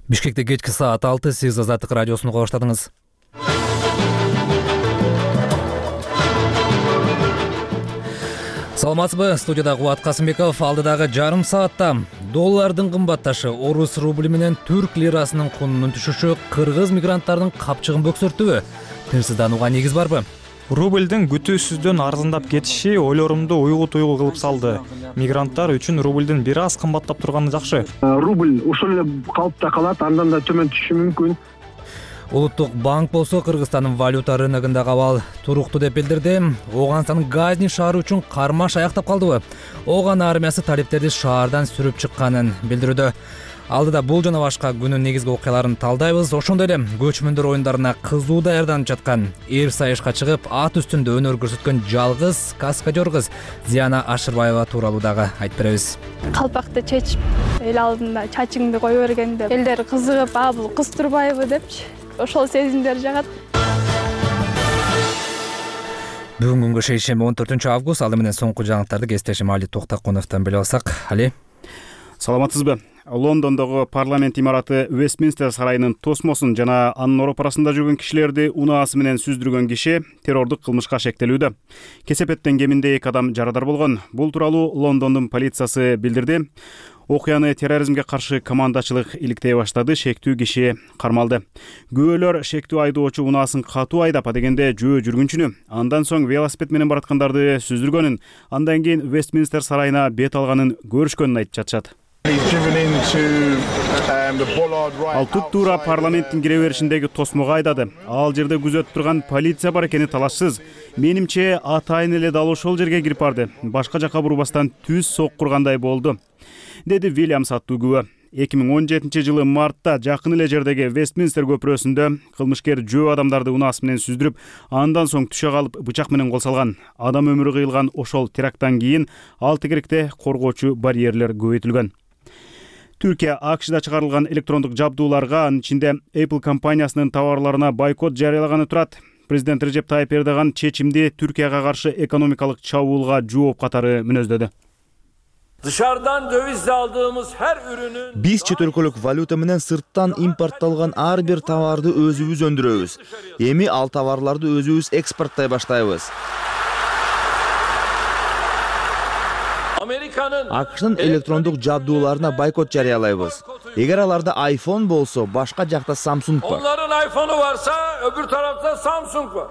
Бишкекте кечки саат 6 сиз Азаттык радиосуну уга баштадыңыз. Саламатсызбы? Студияда Кубат Касымбеков. Алдыдагы жарым саатта доллардын кымбатташы, орус рубли менен түрк лирасынын кунунун түшүшү кыргыз мигранттардын капчыгын бөксөрттүбү? Тынчсызданууга негиз барбы? Рубльдин күтүүсүздөн арзандап кетиши ойлорумду уйгу-туйгу кылып салды. Мигранттар үчүн рубльдин бир аз кымбаттап турганы жакшы. Рубль ошол эле калыпта калат, андан да төмөн түшүшү мүмкүн. Улуттук банк болсо Кыргызстандын валюта рыногундагы абал туруктуу деп билдирди. Оганстандын Газни шаары үчүн кармаш аяктап калдыбы? Оган армиясы талиптерди шаардан сүрүп чыкканын билдирүүдө. Алдыда бул жана башка күнүн негизги окуяларын талдайбыз. Ошондой эле көчмөндөр оюндарына кызуу даярданып жаткан, эр сайышка чыгып, ат үстүндө өнөр көрсөткөн жалгыз каскадер кыз Зияна Ашырбаева тууралуу дагы айтып беребиз. Калпакты чечип, эл алдында чачыңды кое бергенде элдер кызыгып, бул кыз турбайбы депчи, ошол сезимдер жагат. Бүгүнкү күнгө шейшемби 14 август. Ал менен соңку жаңылыктарды кесиптешим Али Токтакуновдон билип алсак. Али. Саламатсызбы? Лондондогу парламент имараты Вестминстер сарайынын тосмосун жана анын ороп арасында жүргөн кишилерди унаасы менен сүздүргөн киши террордук кылмышка шектелүүдө. Кесепеттен кеминде 2 адам жарадар болгон. Бул тууралуу Лондондун полициясы билдирди. Окуяны терроризмге каршы командачылык иликтей баштады, шектүү киши кармалды. Күбөлөр шектүү айдоочу унаасын катуу айдап дегенде жөө жүргүнчүнү, андан соң велосипед менен бараткандарды сүздүргөнүн, андан кийин Вестминстер сарайына бет алганын көрүшкөнүн айтып жатышат. Ал туп-туура парламенттин кире беришиндеги тосмого айдады. Ал жерде күзөтүп турган полиция бар экени талашсыз. Менимче атайын эле дал ошол жерге кирип барды. Башка жака бурбастан түз соккургандай болду, деди Вильямс аттуу күбө. 2017 жылы мартта жакын эле жердеги Вестминстер көпүрөсүндө кылмышкер жөө адамдарды унаасы менен сүздүрүп, андан соң түшө калып бычак менен кол салган. Адам өмүрү кыйылган ошол теракттан кийин ал тегеректе коргоочу барьерлер көбөйтүлгөн. Түркия АКШда чыгарылган электрондук жабдууларга, анын ичинде Apple компаниясынын товарларына бойкот жарыялаганы турат. Президент Режеп Тайып Эрдоган чечимди Түркияга каршы экономикалык чабуулга жооп катары мүнөздөдү. Dışarıdan dövizle aldığımız her ürünün Биз чет өлкөлүк валюта менен сырттан импортталган ар бир товарды өзүбүз өндүрөбүз. Эми ал товарларды өзүбүз экспорттой баштайбыз. АКШнын электрондук жабдууларына бойкот жарыялайбыз. Эгер аларда iPhone болсо, башка жакта Samsung бар. Onların iPhone'u varsa öbür tarafta Samsung var.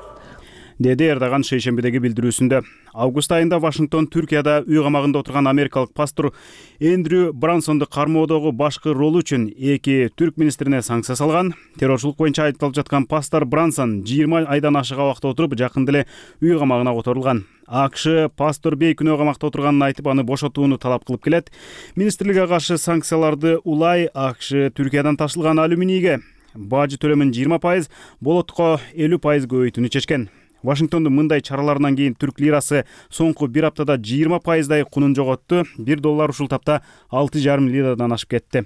Деди Эрдоган шейшембидеги билдирүүсүндө. Август айында Вашингтон Түркияда үй камагында отурган америкалык пастор Эндрю Брансонду кармоодогу башкы ролу үчүн 2 түрк министрине санкция салган. Террорчулук боюнча айыпталып жаткан пастор Брансон 20 айдан ашык абакта отуруп, жакында эле үй камагына которулган. АКШ пастор бей күнөө камакта отурганын айтып, аны бошотууну талап кылып келет. Министрликке каршы санкцияларды улай АКШ Түркиядан ташылган алюминийге бажы төлөмүн 20%, болотко 50% көбөйтүүнү чечкен. Вашингтондун мындай чараларынан кийин түрк лирасы соңку бир аптада 20%дай кунун жоготту. $1 ушул тапта 6,5 лирадан ашып кетти.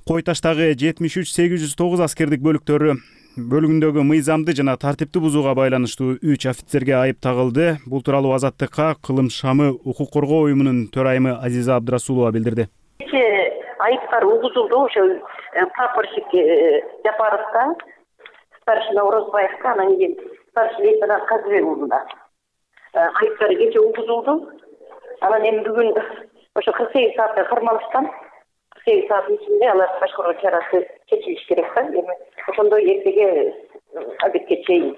Кой таштагы 73-809 аскердик бөлүгүндөгү мыйзамды жана тартипти бузууга байланыштуу 3 офицерге айып тагылды. Бул тууралуу Азаттыкка Кылым шамы укук коргоо уюмунун төрайымы Азиза Абдрасулова билдирди. Айыптар угузулду ошо прапорщик Жапаровго, старшина Орозбаевго, анан кийин старший лейтенант Казыбек уулуна айыптар кече угузулду. Анан эми бүгүн ошо 48 саатта кармалышкан. 48 сааттын ичинде алар башкаруу чарасы чечилиш керек да. Эми ошондой эртеге обедке чейин,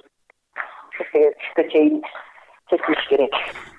түшкө чейин чечилиш керек.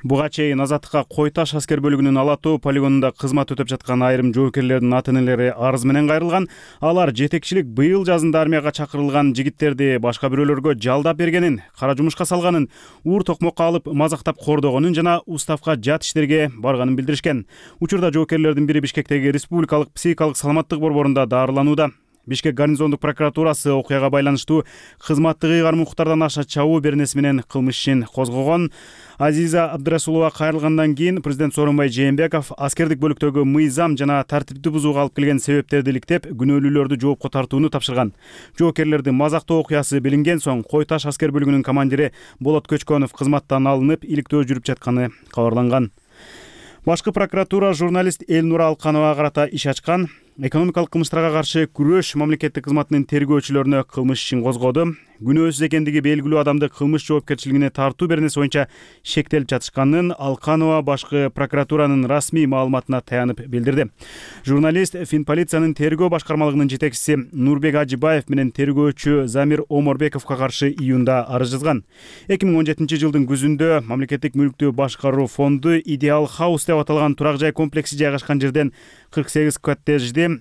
Буга чейин Азаттыкка Кой таш аскер бөлүгүнүн Ала Тоо полигонунда кызмат өтөп жаткан айрым жоокерлердин ата-энелери арыз менен кайрылган. Алар жетекчилик быйыл жазында армияга чакырылган жигиттерди башка бирөөлөргө жалдап бергенин, кара жумушка салганын, уур токмокко алып мазактап кордогонун жана уставка жат иштерге барганын билдиришкен. Учурда жоокерлердин бири Бишкектеги Республикалык психикалык саламаттык борборунда дарыланууда. Бишкек гарнизондук прокуратурасы окуяга байланыштуу кызматтык ыйгарым укуктардан аша чабуу беренеси менен кылмыш ишин козгогон. Азиза Абдрасулова кайрылгандан кийин президент Сооронбай Жээнбеков аскердик бөлүктөгү мыйзам жана тартипти бузууга алып келген себептерди иликтеп, күнөөлүүлөрдү жоопко тартууну тапшырган. Жоокерлердин мазактоо окуясы билинген соң Кой таш аскер бөлүгүнүн командири Болот Көчкөнов кызматтан алынып, иликтөө жүрүп жатканы кабарланган. Башкы прокуратура журналист Элнура Алкановага карата иш ачкан. экономикалык кылмыштарга каршы күрөш мамлекеттик кызматынын тергөөчүлөрүнө кылмыш ишин козгоду. Күнөөсүз экендиги белгилүү адамды кылмыш жоопкерчилигине тартуу беренеси боюнча шектелип жатышканын Алканова башкы прокуратуранын расмий маалыматына таянып билдирди. Журналист Финполициянын тергөө башкармалыгынын жетекчиси Нурбек Ажибаев менен тергөөчү Замир Оморбековго каршы июнда арыз жазган. 2017 жылдын күзүндө мамлекеттик мүлктү башкаруу фонду Ideal House деп аталган турак жай комплекси жайгашкан жерден 48 коттеджди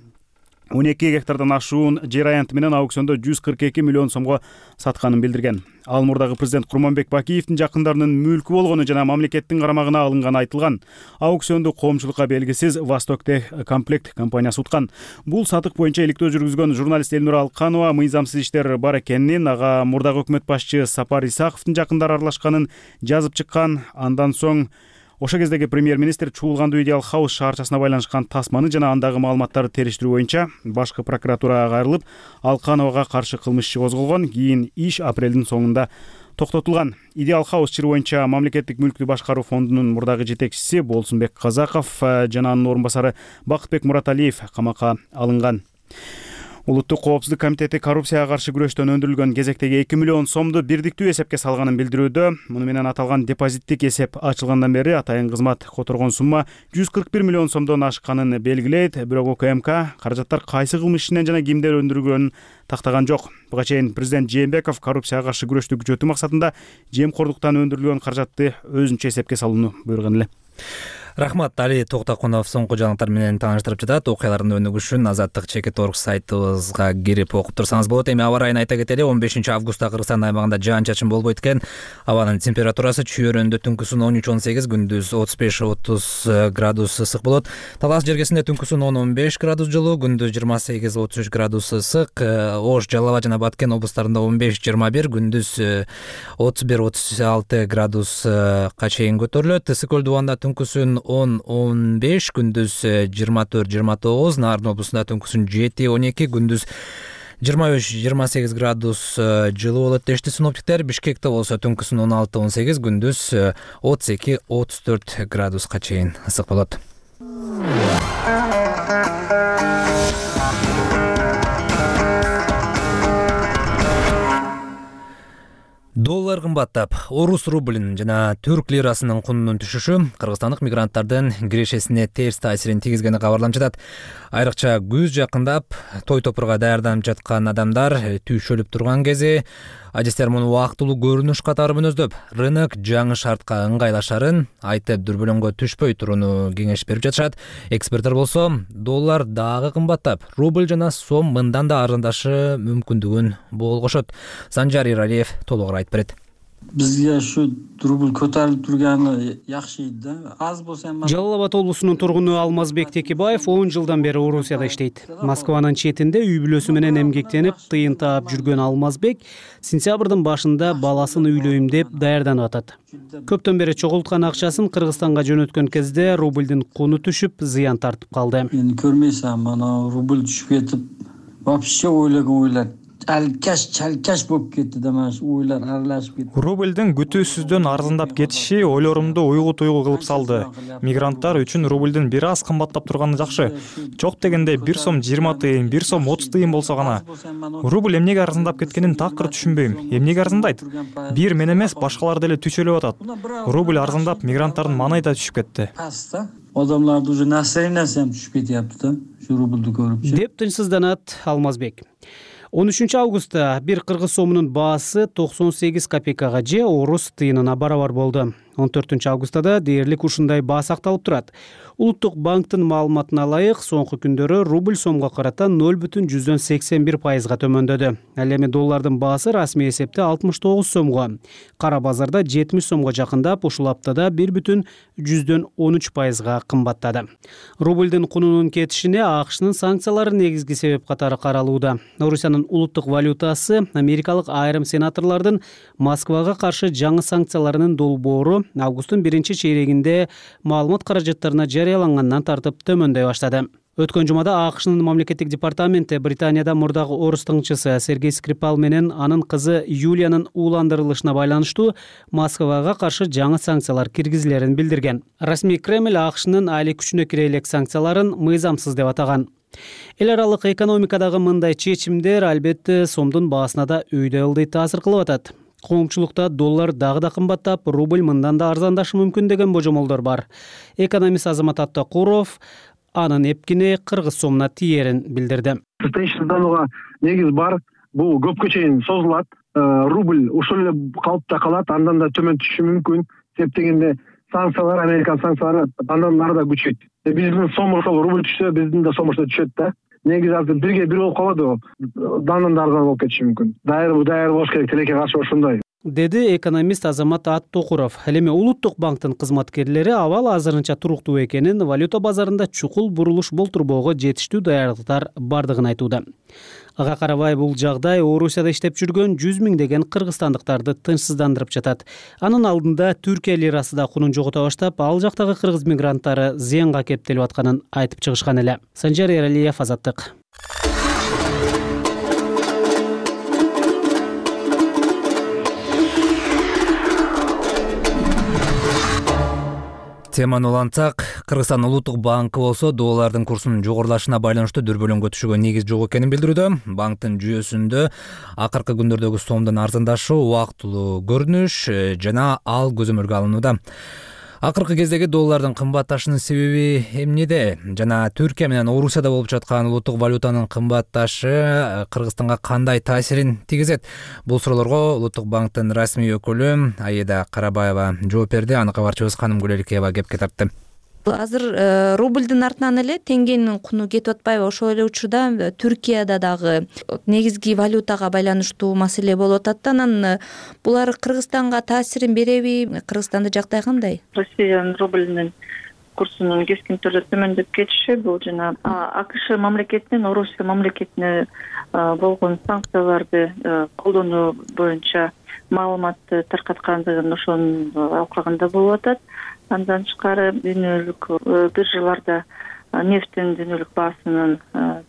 12 гектардан ашуун жер аянты менен аукциондо 142 миллион сомго сатканын билдирген. Ал мурдагы президент Курманбек Бакиевдин жакындарынын мүлкү болгону жана мамлекеттин карамагына алынганы айтылган. Аукционду коомчулукка белгисиз Востоктех комплект компаниясы уткан. Бул сатык боюнча иликтөө жүргүзгөн журналист Элнура Алканова мыйзамсыз иштер бар экенин, ага мурдагы өкмөт башчы Сапар Исаковдун жакындары аралашканын жазып чыккан. Андан соң ошо кездеги премьер-министр чуулгандуу Ideal House шаарчасына байланышкан тасманы жана андагы маалыматтарды териштирүү боюнча башкы прокуратурага кайрылып, Алкановага каршы кылмыш иши козголгон. Кийин иш апрелдин соңунда токтотулган. Ideal House чыры боюнча мамлекеттик мүлктү башкаруу фондунун мурдагы жетекчиси Болсунбек Казаков жана анын орун басары Бакытбек Мураталиев камакка алынган. Улуттук коопсуздук комитети коррупцияга каршы күрөштөн өндүрүлгөн кезектеги 2 миллион сомду бирдиктүү эсепке салганын билдирүүдө. Муну менен аталган депозиттик эсеп ачылгандан бери атайын кызмат которгон сумма 141 миллион сомдон ашканын белгилейт. Бирок УКМК каражаттар кайсы кылмыш ишинен жана кимдер өндүргөнүн тактаган жок. Буга чейин президент Жээнбеков коррупцияга каршы күрөштү күчөтүү максатында жемкордуктан өндүрүлгөн каражатты өзүнчө эсепке салууну буйруган эле. Рахмат, Али Токтакунов соңку жаңылыктар менен тааныштырып жатат. Окуялардын өнүгүшү үчүн Азаттык.org сайтыбызга кирип окуп турсаңыз болот. Эми аба ырайын айта кетели. 15-августта Кыргызстан аймагында жаан-чачын болбойт экен. Абанын температурасы чүйөрөндө түнкүсүн 13-18, күндүз 35-30 градус ысык болот. Талас жергесинде түнкүсүн 10-15 градус жылуу, күндүз 28-33 градус ысык. Ош, Жалал абад жана Баткен облустарында 15-21, күндүз 31-36 градуска чейин көтөрүлөт. Ысык көл дубанда түнкүсүн 10-15, күндүз 24-29, Нарын облусунда түнкүсүн 7-12, күндүз 23-28 градус жылуу болот дешти синоптиктер. Бишкекте болсо түнкүсүн 16-18, күндүз 32-34 градуска чейин ысык болот. Доллар кымбаттап, орус рублинин жана түрк лирасынын кунунун түшүшү кыргызстандык мигранттардын кирешесине терс таасирин тийгизгени кабарланып жатат. Айрыкча күз жакындап, той топурга даярданып жаткан адамдар түйшөлүп турган кези адистер муну убактылуу көрүнүш катары мүнөздөп, рынок жаңы шартка ыңгайлашарын айтып дүрбөлөңгө түшпөй турууну кеңеш берип жатышат. Эксперттер болсо, доллар дагы кымбаттап, рубль жана сом мындан да арзандашы мүмкүндүгүн болгошот. Санжар Иралиев толугураак айтып берет. Бизге ушу рубль көтөрүлүп турганы жакшы да. Аз болсо эми Жалал абад облусунун тургуну Алмазбек Текебаев 10 жылдан бери Орусияда иштейт. Москванын четинде үй бүлөсү менен эмгектенип, тыйын таап жүргөн Алмазбек сентябрдын башында баласын үйлөйм деп даярданып атат. Көптөн бери чогулткан акчасын Кыргызстанга жөнөткөн кезде рубльдин куну түшүп, зыян тартып калды. Эми көрмөйсүң, мана рубль түшүп кетип, вообще ойлогон ойлор чалкаш болуп кетти да, mana shu ойлор аралашып кетти. Рубльдин күтүүсүздөн арзандап кетиши ойлорумду уйгу-туйгу кылып салды. Мигранттар үчүн рубльдин бир аз кымбаттап турганы жакшы. Жок дегенде 1 сом 20 тыйын, 1 сом 30 тыйын болсо гана. Рубль эмнеге арзандап кеткенин такыр түшүнбөйм. Эмнеге арзандайт? Бир мен эмес, башкалар деле түйшөлүп атат. Рубль арзандап, мигранттардын маанайы да түшүп кетти. Адамдарды уже настроениясы түшүп кетип да, ушу рубльду көрүп. Деп тынчсызданат Алмазбек. 13 августта бир кыргыз сомунун баасы 98 копейкага же орус тыйынына барабар болду. 14 августта да дээрлик ушундай баа сакталып турат. Улуттук банктын маалыматына ылайык, соңку күндөрү рубль сомго карата 0,81%га төмөндөдү. Ал эми доллардын баасы расмий эсепте 69 сомго, кара базарда 70 сомго жакындап, ушул аптада 1,13%га кымбаттады. Рубльдин кунунун кетишине АКШнын санкциялары негизги себеп катары каралууда. Орусиянын улуттук валютасы америкалык айрым сенаторлордун Москвага каршы жаңы санкцияларынын долбоору августтун 1-чейрегинде маалымат каражаттарына жарыялангандан тартып төмөндөй баштады. Өткөн жумада АКШнын мамлекеттик департаменти Британияда мурдагы орус тыңчысы Сергей Скрипал менен анын кызы Юлиянын ууландырылышына байланыштуу Москвага каршы жаңы санкциялар киргизилерин билдирген. Расмий Кремль АКШнын али күчүнө кире элек санкцияларын мыйзамсыз деп атаган. Эл аралык экономикадагы мындай чечимдер албетте сомдун баасына да өйдөй ылдый таасир кылып атат. Коомчулукта доллар дагы да кымбаттап, рубль мындан да арзандашы мүмкүн деген божомолдор бар. Экономист Азамат Аттакуров анын эпкине кыргыз сомуна тиерин билдирди. Тынчсызданууга негиз бар. Бул көпкө чейин созулат. Рубль ошол эле калыпта калат, андан да төмөн түшүшү мүмкүн. Себеп дегенде санкциялар, Американ санкциялары андан нары да күчөйт. Биздин сом ошол рубль түшсө, биздин да сом ошо түшөт да. Негизи азыр бирге бир болуп калбады. Дандан да арзан болуп кетиши мүмкүн. Дайыр болуш керек, тилекке каршы ошондой. Деди экономист Азамат Аттакуров. Ал эми Улуттук банктын кызматкерлери абал азырынча туруктуу экенин, валюта базарында чукул бурулуш болтурбоого жетиштүү даярдыктар бардыгын айтууда. Ага карабай бул жагдай Орусияда иштеп жүргөн 100 миңдеген кыргызстандыктарды тынчсыздандырып жатат. Анын алдында Түркия лирасы да кунун жогото баштап, ал жактагы кыргыз мигранттары зыянга кептелип атканын айтып чыгышкан эле. Санжар Эралиев, Азаттык. Теманы улантсак, Кыргызстан Улуттук банкы болсо доллардын курсунун жогорулашына байланыштуу дүрбөлөңгө түшүүгө негиз жок экенин билдирүүдө. Банктын жүйөсүндө акыркы күндөрдөгү сомдун арзандашы убактылуу көрүнүш жана ал көзөмөлгө алынууда. Акыркы кездеги доллардын кымбатташынын себеби эмнеде? Жана Түркия менен Орусияда болуп жаткан улуттук валютанын кымбатташы Кыргызстанга кандай таасирин тийгизет? Бул суроолорго Улуттук банктын расмий өкүлү Аида Карабаева жооп берди. Аны кабарчыбыз Ханым Гүлеликеева кепке тартты. Азыр рубльдин артынан эле теңгенин куну кетип атпайбы? Ошол эле учурда Түркияда дагы негизги валютага байланыштуу маселе болуп атат да, анан булар Кыргызстанга таасирин береби? Кыргызстанда жагдай кандай? Россиянын рубльнин курсунун кескин түрдө төмөндөп кетиши бул жана АКШ мамлекетинин Орусия мамлекетине болгон санкцияларды колдонуу боюнча маалыматты таркаткандыгын ошонун алкагында болуп атат. Андан тышкары дүйнөлүк биржаларда нефтин дүйнөлүк баасынын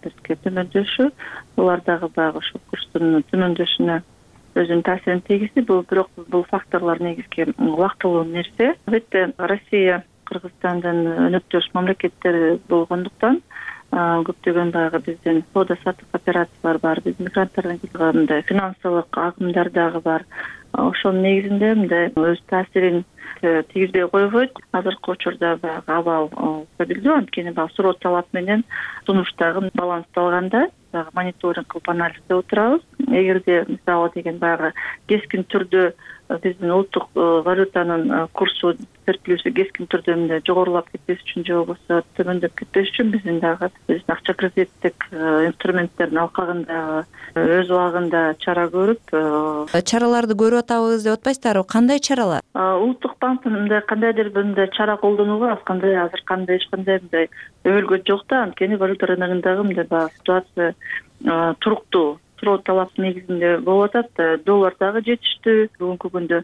бирке төмөндөшү, булар дагы баягы ошол курстун төмөндөшүнө өзүнүн таасирин тийгизди. Бирок бул факторлор негизги убактылуу нерсе. Албетте Россия Кыргызстандын өнөктөш мамлекеттери болгондуктан көптөгөн баягы биздин соода саттык операциялар бар, биздин мигранттардын мындай финансылык агымдар дагы бар. Ошонун негизинде мындай өз таасирин тийгизбей койбойт. Азыркы учурда баягы абал стабилдүү, анткени баягы суроо талап менен сунуш дагы балансталганда баягы мониторинг кылып анализдеп отурабыз. Эгерде мисалы деген баягы кескин түрдө биздин улуттук валютанын курсу серпилүүсү кескин түрдө мындай жогорулап кетпеш үчүн же болбосо төмөндөп кетпеш үчүн биздин дагы акча кредиттик инструменттердин алкагында өз убагында чара көрүп чараларды көрүп атабыз деп атпайсыздарбы? Кандай чаралар? Улуттук банктын мындай кандайдыр мындай чара колдонууга азыр кандай эч кандай мындай өбөлгө жок да, анткени валюта рыногундагы мындай баягы ситуация туруктуу. Суроо талап негизинде болуп атат. Доллар дагы жетиштүү. Бүгүнкү күндө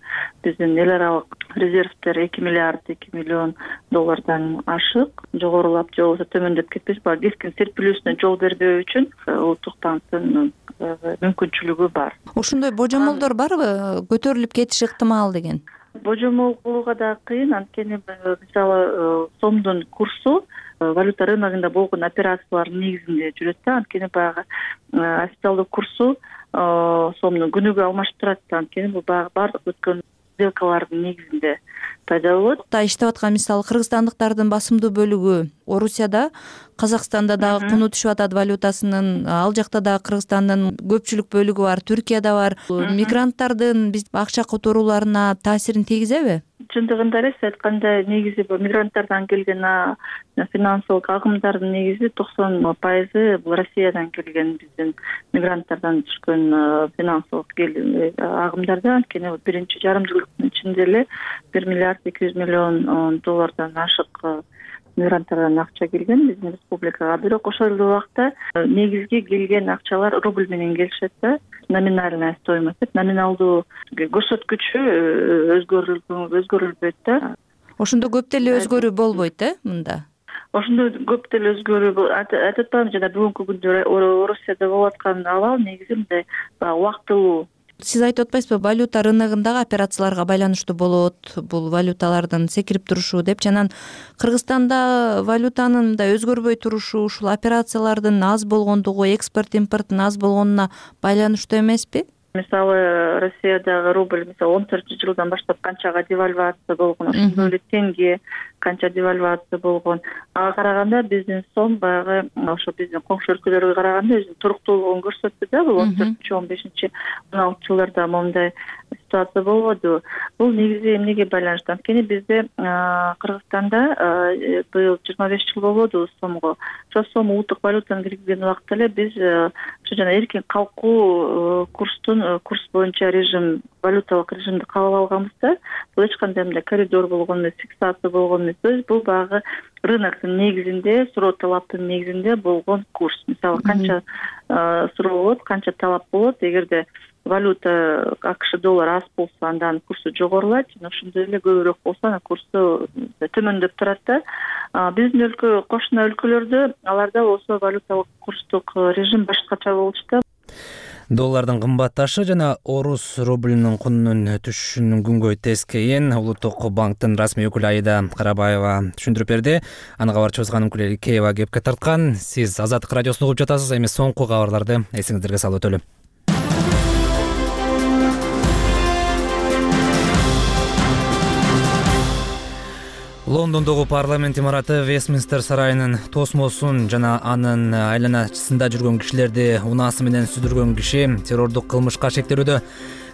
биздин эл аралык резервдер 2 миллиард 2 миллион доллардан ашык, жогорулап же болбосо төмөндөп кетпеш, баягы кескин серпилүүсүнө жол бербөө үчүн Улуттук банктын мүмкүнчүлүгү бар. Ошондой божомолдор барбы? Көтөрүлүп кетиши ыктымал деген. Божомол кылууга да кыйын, анткени мисалы сомдун курсу валюта рыногунда болгон операциялардын негизинде жүрөт да, анткени баягы официалдуу курсу сомду күнүгө алмашып турат да, анткени бул баягы бардык өткөн сделкалардын негизинде пайда болот. Иштеп аткан мисалы кыргызстандыктардын басымдуу бөлүгү Орусияда, Казакстанда дагы куну түшүп атат валютасынын, ал жакта дагы Кыргызстандын көпчүлүк бөлүгү бар, Түркияда бар. Мигранттардын биз акча которууларына таасирин тийгизеби? Чындыгында эле сиз айткандай негизи бул мигранттардан келген финансылык агымдардын негизи 90% бул Россиядан келген биздин мигранттардан түшкөн финансылык агымдар да, анткени биринчи жарым жылдын ичинде эле 1 миллиард 200 миллион доллардан ашык мигранттардан акча келген биздин республикага. Бирок ошол эле убакта негизги келген акчалар рубль менен келишет да. Номинальная стоимость, номиналдуу көрсөткүчү өзгөрүлбөйт да. Ошондо көп деле өзгөрүү болбойт мында? Ошондо көп деле өзгөрүү айтып атпаймынбы, жана бүгүнкү күндө Орусияда болуп аткан абал негизи мындай убактылуу Сиз айтып атпайсызбы, валюта рыногундагы операцияларга байланыштуу болот бул валюталардын секирип турушу деп. Анан Кыргызстанда валютанын да өзгөрбөй турушу ушул операциялардын аз болгондугу, экспорт импорттун аз болгонуна байланыштуу эмеспи? Мисалы, Россиядагы рубль 14-жылдан баштап канчага девальвация болгон, ошондой эле тенге канча девальвация болгон. Ага караганда биздин сом баягы ошо биздин коңшу өлкөлөргө караганда өзүнүн туруктуулугун көрсөттү да. Бул 14-15-16 момундай ситуация болбоду. Бул негизи эмнеге байланыштуу? Анткени бизде Кыргызстанда быйыл 25 жыл болбоду сомго. Ошо сом улуттук валютаны киргизген убакта эле биз ошо жана эркин калкуу курс боюнча режим, валюталык режимди кабыл алганбыз да. Бул эч кандай мындай коридор болгон эмес, фиксация болгон эмес. То есть бул баягы рыноктун негизинде, суроо талаптын негизинде болгон курс. Мисалы, канча суроо болот, канча талап болот, эгерде валюта АКШ доллар аз болсо, андан курсу жогорулайт, жана ошондой эле көбүрөөк болсо, анан курсу төмөндөп турат да. Биздин өлкө, кошуна өлкөлөрдө аларда болсо валюталык курстук режим башкача болчу да. Доллардын кымбатташы жана орус рублинин кунунун түшүшүнүн күнгөй тескейин Улуттук банктын расмий өкүлү Аида Карабаева түшүндүрүп берди. Аны кабарчыбыз Ганыкүл Эликеева кепке тарткан. Сиз Азаттык радиосун угуп жатасыз. Эми соңку кабарларды эсиңиздерге салып өтөлүм. Лондондогу парламент имараты Вестминстер сарайынын тосмосун жана анын айланасында жүргөн кишилерди унаасы менен сүдүргөн киши террордук кылмышка шектелүүдө.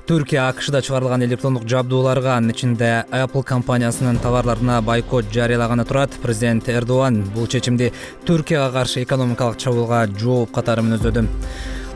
Түркия АКШда чыгарылган электрондук жабдууларга, анын ичинде Apple компаниясынын товарларына бойкот жарыялаганы турат. Президент Эрдоган бул чечимди Түркияга каршы экономикалык чабуулга жооп катары мүнөздөдү.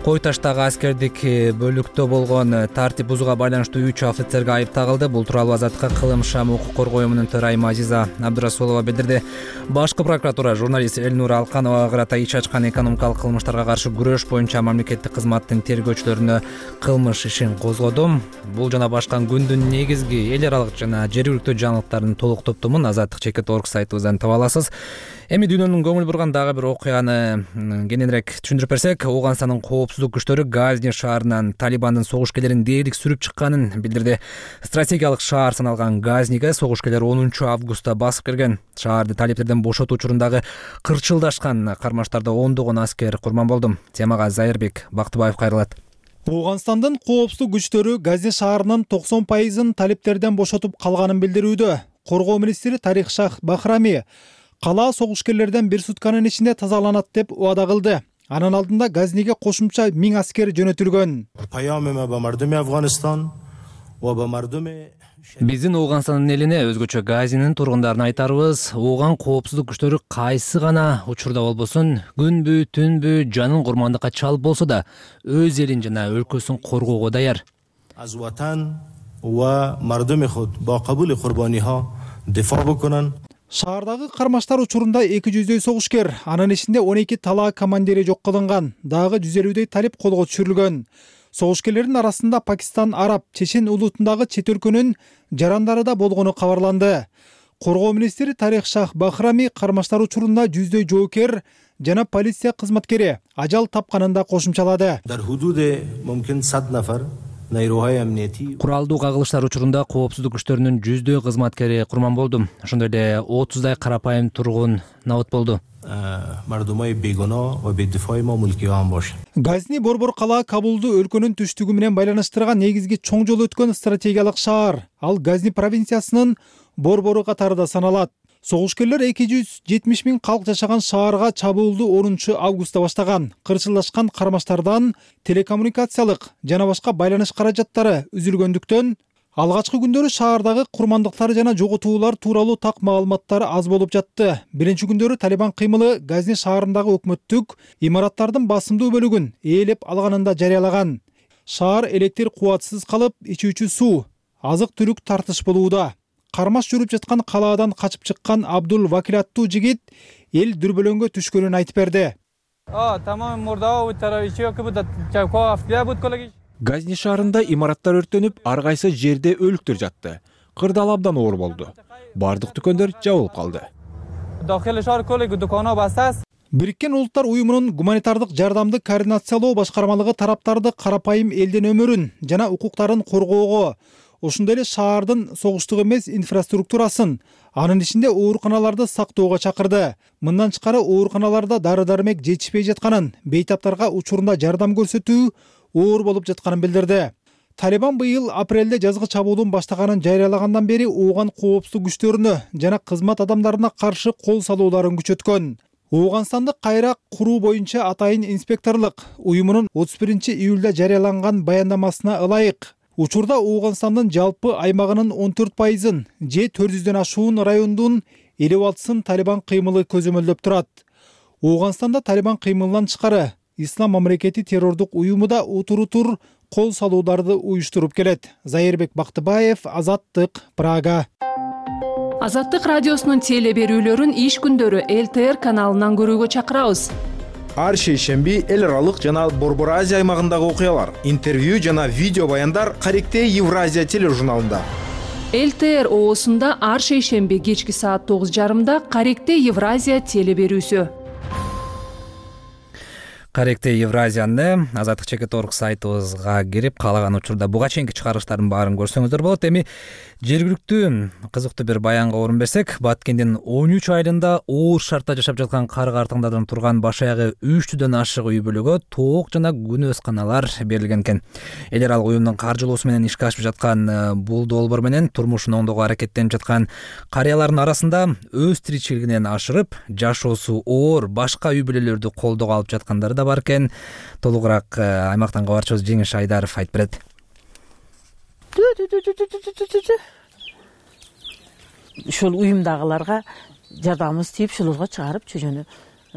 Кой таштагы аскердик бөлүктө болгон тартип бузууга байланыштуу 3 офицерге айып тагылды. Бул тууралуу Азаттыкка Кылым Шам укук коргоо уюмунун төрайымы Азиза Абдурасулова билдирди. Башкы прокуратура журналист Элнура Алкановага карата иш ачкан экономикалык кылмыштарга каршы күрөш боюнча мамлекеттик кызматтын тергөөчүлөрүнө кылмыш ишин козгоду. Бул жана башка күндүн негизги эл аралык жана жергиликтүү жаңылыктардын толук топтомун Азаттык.org сайтыбыздан таба аласыз. Эми дүйнөнүн көңүл бурган дагы бир окуяны кененирээк түшүндүрүп берсек, Ооганстандын коопсуздук күчтөрү Газни шаарынан Талибандын согушкерлерин дээрлик сүрүп чыкканын билдирди. Стратегиялык шаар саналган Газниге согушкерлер 10 августта басып кирген. Шаарды талиптерден бошотуу учурундагы кырчылдашкан кармаштарда ондогон аскер курман болду. Темага Зайырбек Бактыбаев кайрылат. Ооганстандын коопсуздук күчтөрү Газни шаарынын 90% талиптерден бошотуп калганын билдирүүдө. Коргоо министри Тарих Шах Бахрами кала согушкерлерден бир сутканын ичинде тазаланат деп убада кылды. Анын алдында Газниге кошумча 1000 аскер жөнөтүлгөн. Биздин Ооганстандын элине, өзгөчө Газнинин тургундарына айтарыбыз, Ооган коопсуздук күчтөрү кайсы гана учурда болбосун, күнбү, түнбү жанын курмандыкка чалып болсо да, өз элин жана өлкөсүн коргоого даяр. Шаардагы кармаштар учурунда 200дөй согушкер, анын ичинде 12 талаа командири жок кылынган, дагы 150дөй талип колго түшүрүлгөн. Согушкерлердин арасында Пакистан, Араб, Чечен улутундагы чет өлкөнүн жарандары да болгону кабарланды. Коргоо министри Тарих Шах Бахрами кармаштар учурунда 100дөй жоокер жана полиция кызматкери ажал тапканын да кошумчалады. Куралдуу кагылыштар учурунда коопсуздук күчтөрүнүн 100дөй кызматкери курман болду. Ошондой эле 30дай карапайым тургун набыт болду. Газни борбор кала Кабулду өлкөнүн түштүгү менен байланыштырган негизги чоң жол өткөн стратегиялык шаар. Ал Газни провинциясынын борбору катарында саналат. Согушкерлер 270 000 калк жашаган шаарга чабуулду 10 августта баштаган. Кырчылдашкан кармаштардан телекоммуникациялык жана башка байланыш каражаттары үзүлгөндүктөн алгачкы күндөрү шаардагы курмандыктар жана жоготуулар тууралуу так маалыматтар аз болуп жатты. Биринчи күндөрү Талибан кыймылы Газни шаарындагы өкмөттүк имараттардын басымдуу бөлүгүн ээлеп алганын да жарыялаган. Шаар электр кубатсыз калып, ичүүчү суу, азык-түлүк тартыш болууда. Кармаш жүрүп жаткан калаадан качып чыккан Абдул Вакил аттуу жигит эл дүрбөлөңгө түшкөнүн айтып берди. Газни шаарында имараттар өрттөнүп, ар кайсы жерде өлүктөр жатты. Кырдаал абдан оор болду. Бардык дүкөндөр жабылып калды. Бириккен Улуттар уюмунун гуманитардык жардамды координациялоо башкармалыгы тараптарды карапайым элдин өмүрүн жана укуктарын коргоого, ошондой эле шаардын согуштук эмес инфраструктурасын, анын ичинде ооруканаларды сактоого чакырды. Мындан тышкары ооруканаларда дары-дармек жетишпей жатканын, бейтаптарга учурунда жардам көрсөтүү оор болуп жатканын билдирди. Талибан быйыл апрелде жазгы чабуулун баштаганын жарыялагандан бери ооган коопсуздук күчтөрүнө жана кызмат адамдарына каршы кол салууларын күчөткөн. Ооганстандык кайра куруу боюнча атайын инспекторлук уюмунун 31-июлда жарыяланган баяндамасына ылайык, учурда Ооганстандын жалпы аймагынын 14%, же 400дөн ашуун райондун 56-сын Талибан кыймылы көзөмөлдөп турат. Ооганстанда Талибан кыймылынан тышкары Ислам мамлекети террордук уюму да утур кол салууларды уюштуруп келет. Зайырбек Бактыбаев, Азаттык, Прага. Азаттык радиосунун теле берүүлөрүн иш күндөрү ЛТР каналынан көрүүгө чакырабыз. Ар шейшемби эл аралык жана Борбор Азия аймагындагы окуялар, интервью жана видео баяндар Каректе Евразия тележурналында. ЛТР оосунда ар шейшемби кечки саат 9:30 Каректе Евразия теле берүүсү. Каректе Евразияны Азаттык чекит.org сайтыбызга кирип, каалаган учурда буга чейинки чыгарыштардын баарын көрсөңүздөр болот. Эми жергиликтүү кызыктуу бир баянга орун берсек, Баткендин 13 айылында оор шартта жашап жаткан кар-картаңдардан турган баш аягы 300дөн ашык үй бүлөгө тоок жана күнөөс каналар берилген экен. Эл аралык уюмдун каржылоосу менен ишке ашып жаткан бул долбоор менен турмушун оңдоого аракеттенип жаткан карыялардын арасында өз тиричилигинен ашырып, жашоосу оор башка үй бүлөлөрдү колдоого алып жаткандары да бар экен. Толугураак аймактан кабарчыбыз Жеңиш Айдаров айтып берет. Ушул уюмдагыларга жардамыбыз тийип, ушуларга чыгарып чөжөнү.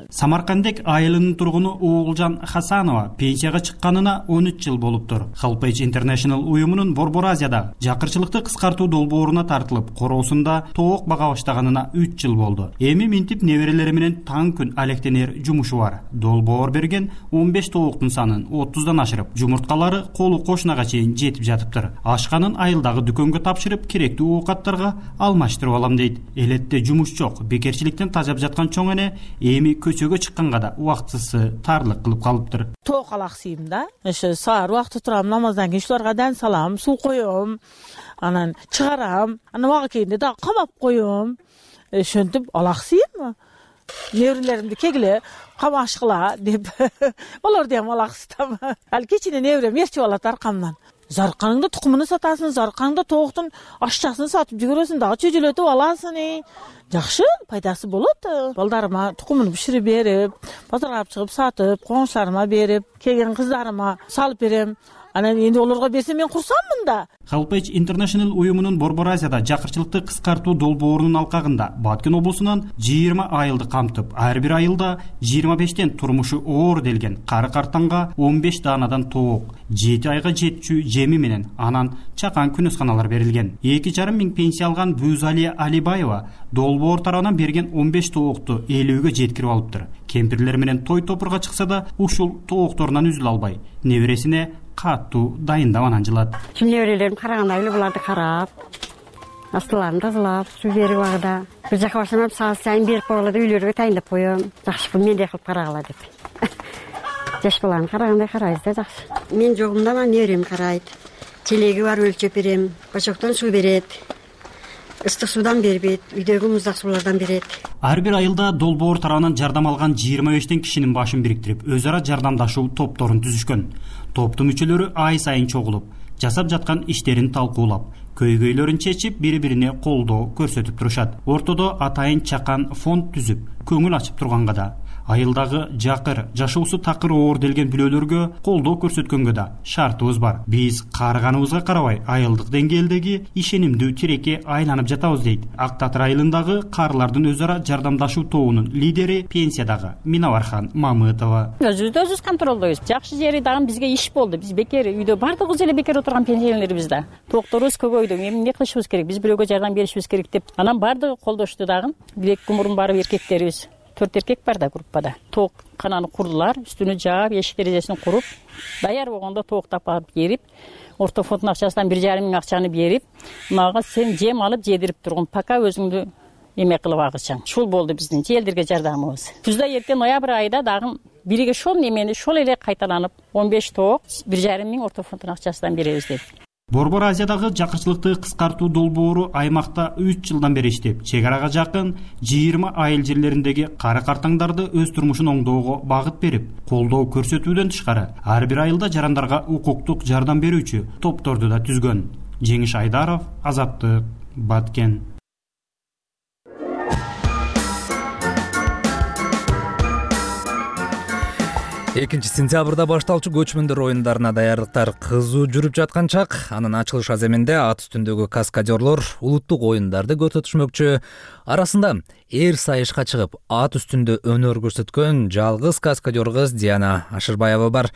Самаркандек айылынын тургуну Оолжан Хасанова пенсияга чыкканына 13 жыл болуптур. Helpage International уюмунун Борбор Азияда жакырчылыкты кыскартуу долбооруна тартылып, короосунда тоок бага баштаганына 3 жыл болду. Эми минтип неберелери менен таң күн алектенер жумушу бар. Долбоор берген 15 тооктун санын 30дан ашырып, жумурткалары колу кошунага чейин жетип жатыптыр. Ашканын айылдагы дүкөнгө тапшырып, керектүү оокаттарга алмаштырып алам дейт. Элетте жумуш жок, бекерчиликтен тажап жаткан чоң эне эми көчөгө чыкканга да убактысы тарлык кылып калыптыр. Тоок алаксыйм да. Ошо саар убакта турам, намаздан кийин ушуларга дан салам, суу коём, анан чыгарам, анан убагы келгенде да камап коём. Ошентип алаксыйм. Неберелеримди кегиле камашкыла деп. Олор да алаксытам. Ал кечине неберем ээрчип алат аркамдан. Зарканыңда тукумуну сатасың, зарканыңда тооктун ашчасын сатып жүгүрөсүң, дагы чөжөлөтүп аласың. Жакшы, пайдасы болот. Балдарыма тукумун биширип берип, базарга алып чыгып сатып, коңшуларыма берип, келген кыздарыма салып берем. Анан энди олорго берсем мен курсаммын да. Helpage International уюмунун Борбор Азияда жакырчылыкты кыскартуу долбоорунун алкагында Баткен облусунан 20 айылды камтып, ар бир айылда 25тен турмушу оор делген кары-картаңга 15 даанадан тоок, 7 айга жетчү жеми менен анан чакан күнөөсканалар берилген. 2,5 миң пенсия алган Бузалия Алибаева долбоор тарабынан берген 15 тоокту 50гө жеткирип алыптыр. Кемпирлер менен той топурга чыкса да ушул тоокторунан үзүлө албай, небересине каттуу дайындабанан жылат. Неберелерим караганда эле буларды карап, астыларын тазалап, суу берип агыда. Бир жака баштап саат сайын берип койгула деп үйлөргө тайындап коём. Жакшы, мендей кылып карагыла деп. Жаш баланы карагандай карайбыз да, жакшы. Мен жогумда мына неберем карайт. Телеги бар өлчөп берем, бачоктон суу берет. Ыстык суудан бербейт, үйдөгү муздак суулардан берет. Ар бир айылда долбоор тарабынан жардам алган 25тен кишинин башын бириктирип, өз ара жардамдашуу топторун түзүшкөн. Топтун мүчөлөрү ай сайын чогулуп, жасап жаткан иштерин талкуулап, көйгөйлөрүн чечип, бири-бирине колдоо көрсөтүп турушат. Ортодо атайын чакан фонд түзүп, көңүл ачып турганга да, айылдагы жакыр, жашоосу такыр оор делген бүлөлөргө колдоо көрсөткөнгө да шартыбыз бар. Биз карыганыбызга карабай, айылдык деңгээлдеги ишенимдүү тилекке айланып жатабыз дейт. Ак Татыр айылындагы карлардын өз ара жардамдашуу тобунун лидери пенсиядагы Минавархан Мамытова. Өзүбүз контролдойбуз. Жакшы жери дагы бизге иш болду. Биз бекер үйдө бардыгыбыз эле бекер отурган пенсионерлербиз да. Тоокторубуз көбөйдү. Эмне кылышыбыз керек? Биз бирөөгө жардам беришибиз керек деп. Анан бардыгы колдошту дагы. Бирек мурун барып эркектерибиз. 4 эркек бар да группада. Тоок кананы курдулар, үстүнү жаап, эшик терезесин куруп, даяр болгондо тооктап алып берип, орто фондун акчасынан 1,5 миң акчаны берип, мага сен жем алып жедирип тургун, пока өзүңдү эме кылып агычаң. Ушул болду биздин элдерге жардамыбыз. Күздө эртең ноябрь айында дагы бирге ошол эмени ошол эле кайталанып 15 тоок 1,5 миң орто фонддун акчасынан беребиз деп. Борбор Азиядагы жакырчылыкты кыскартуу долбоору аймакта 3 жылдан бери иштеп, чек арага жакын 20 айыл жерлериндеги кары картаңдарды өз турмушун оңдоого багыт берип, колдоо көрсөтүүдөн тышкары ар бир айылда жарандарга укуктук жардам берүүчү топторду да түзгөн. Жеңиш Айдаров, Азаттык, Баткен. 2-сентябрда башталчу көчмөндөр оюндарына даярдыктар кызуу жүрүп жаткан чак, анын ачылыш аземинде ат үстүндөгү каскадерлор улуттук оюндарды көрсөтүшмөкчү. Арасында эр сайышка чыгып, ат үстүндө өнөр көрсөткөн жалгыз каскадер кыз Диана Ашырбаева бар.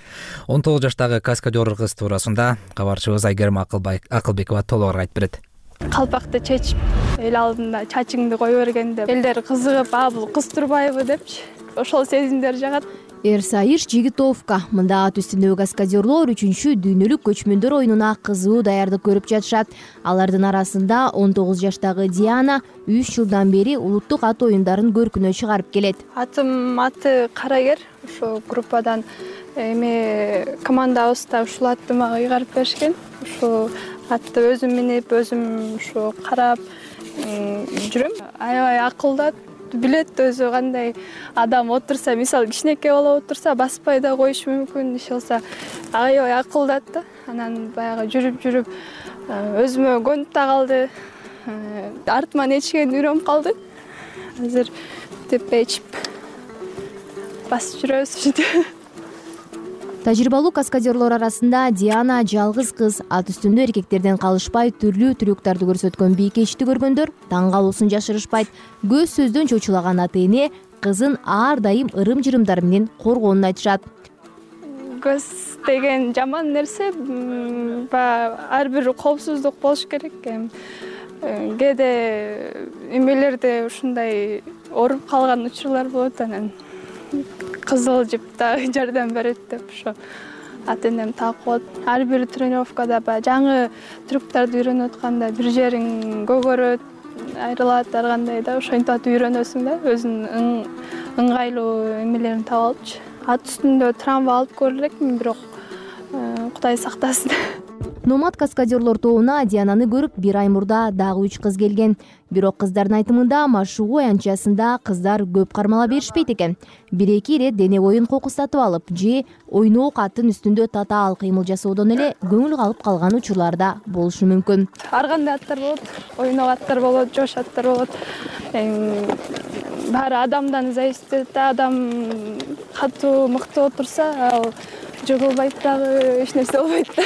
19 жаштагы каскадер кыз туурасында кабарчыбыз Айгерим Акылбекова толугураак айтып берет. Калпакты чечип, эл алдында чачыңды кое бергенде элдер кызыгып, бул кыз турбайбы депчи, ошол сезимдер жагат. Эрсайыш Жигитовка мында ат үстүндөгү каскадерлор 3-дүйнөлүк көчмөндөр оюнуна кызуу даярдык көрүп жатышат. Алардын арасында 19 жаштагы Диана 3 жылдан бери улуттук ат оюндарын көркүнө чыгарып келет. Атым аты Карагер, ошо группадан командабызда ушул атты мага ыйгарып беришкен. Ушул атты өзүм минип, өзүм ушу карап жүрөм. Аябай акылдат, билет өзү кандай адам отурса, мисалы кичинекей бала отурса баспай да коюшу мүмкүн, иш болсо аябай акылдат да. Анан баягы жүрүп өзүмө көнүп да калды. Артыман ичкен үйрөнүп калды. Азыр тепе ичип басып жүрөбүз ушинтип. Тажрыйбалуу каскадерлор арасында Диана жалгыз кыз. Ат үстүндө эркектерден калышпай түрлүү трюктарды көрсөткөн бийкечти көргөндөр таң калуусун жашырышпайт. Көз сөздөн чочулаган ата эне кызын ар дайым ырым-жырымдар менен коргоонун айтышат. Көз деген жаман нерсе, ар бир коопсуздук болуш керек. Кээде эмелерде ушундай ооруп калган учурлар болот, анан кызыл жип да жардам берет деп ошо ата энем так болот. Ар бир тренировкада жаңы трюктарды үйрөнүп атканда бир жериң көгөрөт, айрылат, ар кандай да ошентип үйрөнөсүң да, өзүнүн ыңгайлуу эмелерин таап алыпчы. Ат үстүндө травма алып көрө элекмин, бирок Кудай сактасын. Номад каскадерлор тобуна Диананы көрүп бир ай мурда дагы 3 кыз келген. Бирок кыздардын айтымында машыгуу аянтчасында кыздар көп кармала беришпейт экен. 1-2 ирет дене боюн кокустатып алып же ойноок аттын үстүндө татаал кыймыл жасоодон эле көңүл калып калган учурлар да болушу мүмкүн. Ар кандай аттар болот, ойноок аттар болот, жош аттар болот. Баары адамдан зависит, адам катуу мыкты отурса, ал жыгылбайт дагы, эч нерсе болбойт да.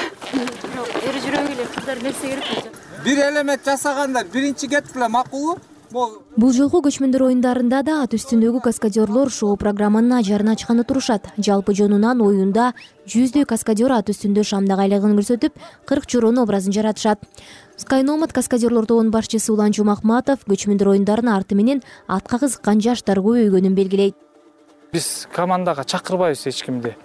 Эри жүрөгү эле кыздар нерсе керек. Бир элемент жасагандар биринчи кетип эле макулбу? Бул жолку көчмөндөр оюндарында да ат үстүндөгү каскадерлор шоу программанын ажарын ачканы турушат. Жалпы жонунан оюнда 100дөй каскадер ат үстүндө шамдак айлыгын көрсөтүп, 40 чороонун образын жаратышат. Skynомад каскадерлор тобунун башчысы Улан Жумахматов көчмөндөр оюндарынын арты менен атка кызыккан жаштар көбөйгөнүн белгилейт. Биз командага чакырбайбыз эч кимди.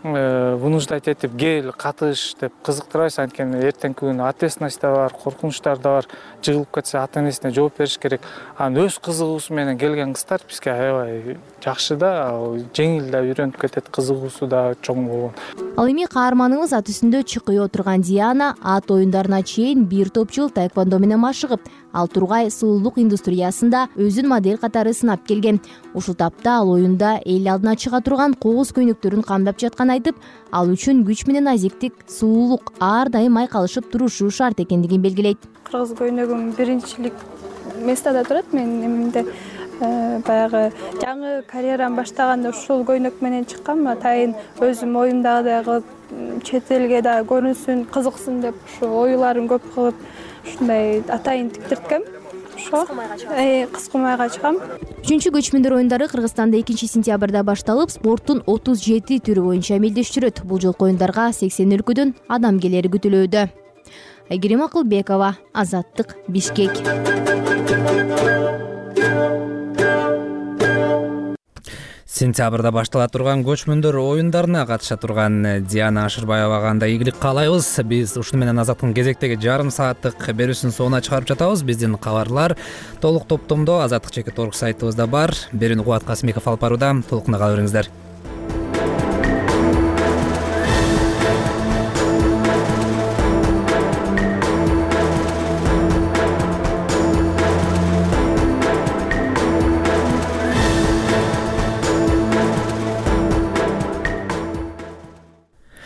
Вынуждать этип кел, катыш деп кызыктырабыз, анткени эртеңки күнү ответственность да бар, коркунучтар да бар. Жыгылып кетсе ата энесине жооп бериш керек. Анан өз кызыгуусу менен келген кыздар бизге аябай жакшы да, жеңил да үйрөнүп кетет, кызыгуусу да чоң болгон. Ал эми каарманыбыз ат үстүндө чыкый отурган Диана ат оюндарына чейин бир топ жыл таэквондо менен машыгып, ал тургай сулуулук индустриясында өзүн модель катары сынап келген. Ушул тапта ал оюнда эл алдына чыга турган кооз көйнөктөрүн камдап жатканын айтып, ал үчүн күч менен азиктик, сулуулук ар дайым айкалышып турушу шарт экендигин белгилейт. Кыргыз көйнөгүм биринчилик местада турат. Мен эмемде баягы жаңы карьерам баштаганда ушул көйнөк менен чыккам. Атайын өзүм оюмдагыдай кылып чет элге да көрүнсүн, кызыксын деп ушу оюларын көп кылып ушундай атайын тиктирткем. Кыска майга чыгам. 3 көчмөндөр оюндары Кыргызстанда 2-сентябрда башталып, спорттун 37 түрү боюнча амелдештирет. Бул жолку оюндарга 80 өлкөдөн адам келери күтүлүүдө. Айгерим Акылбекова, Азаттык, Бишкек. Сентябрда баштала турган көчмөндөр оюндарына катыша турган Диана Ашырбаевага кандай ийгилик каалайбыз. Биз ушуну менен Азаттыктын кезектеги жарым сааттык берүүсүнүн соңуна чыгарып жатабыз. Биздин кабарлар толук топтомдо Азаттык чекит орг сайтыбызда бар. Берүүнү Кубат Касымбеков алып барууда. Толукуна кала бериңиздер.